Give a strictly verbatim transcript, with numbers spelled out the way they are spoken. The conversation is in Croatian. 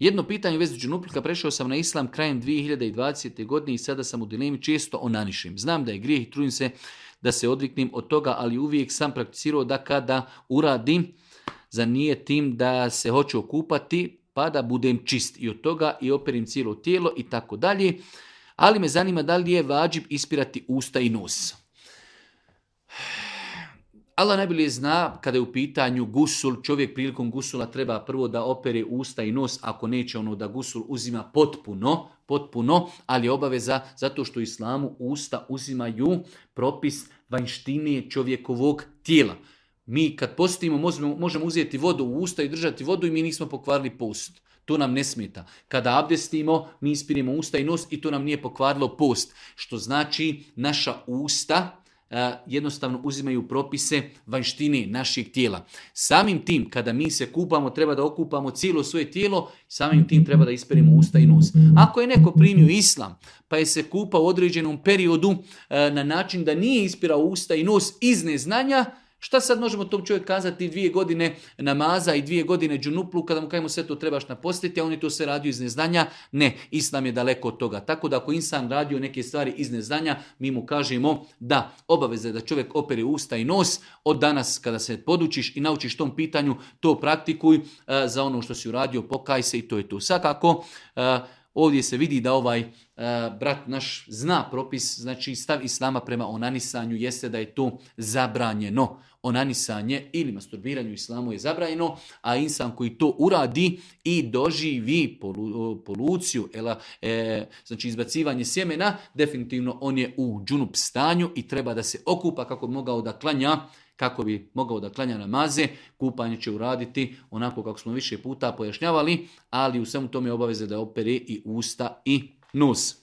Jedno pitanje u vezi džunuplika, prešao sam na islam krajem dvije hiljade dvadesete. godine i sada sam u dilemi, često onanišim. Znam da je grijeh i trudim se da se odviknem od toga, ali uvijek sam prakticirao da kada uradim, za nije tim da se hoću okupati, pa da budem čist i od toga i operim cijelo tijelo i tako dalje. Ali me zanima da li je vađib ispirati usta i nos. Allah najbolje zna kada je u pitanju gusul, čovjek prilikom gusula treba prvo da opere usta i nos, ako neće ono da gusul uzima potpuno, potpuno, ali je obaveza zato što u islamu usta uzimaju propis vanjštine čovjekovog tijela. Mi kad postimo možemo, možemo uzeti vodu u usta i držati vodu i mi nismo pokvarili post. To nam ne smeta. Kada abdestimo, mi ispirimo usta i nos i to nam nije pokvarilo post. Što znači naša usta jednostavno uzimaju propise vanjštine našeg tijela. Samim tim, kada mi se kupamo, treba da okupamo cijelo svoje tijelo, samim tim treba da isperimo usta i nos. Ako je neko primio islam, pa je se kupao u određenom periodu na način da nije ispirao usta i nos iz neznanja, šta sad možemo tom čovjek kazati dvije godine namaza i dvije godine džunuplu, kada mu kajemo sve to trebaš napostiti, a on je to sve radio iz neznanja? Ne, islam je daleko od toga. Tako da ako insan radio neke stvari iz neznanja, mi mu kažemo da obaveza je da čovjek opere usta i nos. Od danas kada se podučiš i naučiš tom pitanju, to praktikuj, za ono što si uradio, pokaj se i to je to. Svakako, ovdje se vidi da ovaj uh, brat naš zna propis, znači stav islama prema onanisanju jeste da je to zabranjeno. Onanisanje ili masturbiranje u islamu je zabranjeno, a insan koji to uradi i doživi polu, poluciju, ela, e, znači izbacivanje sjemena, definitivno on je u džunup stanju i treba da se okupa kako bi mogao da klanja kako bi mogao da klanja namaze. Kupanje će uraditi onako kako smo više puta pojašnjavali, ali u svemu tome je obaveza da opere i usta i nos.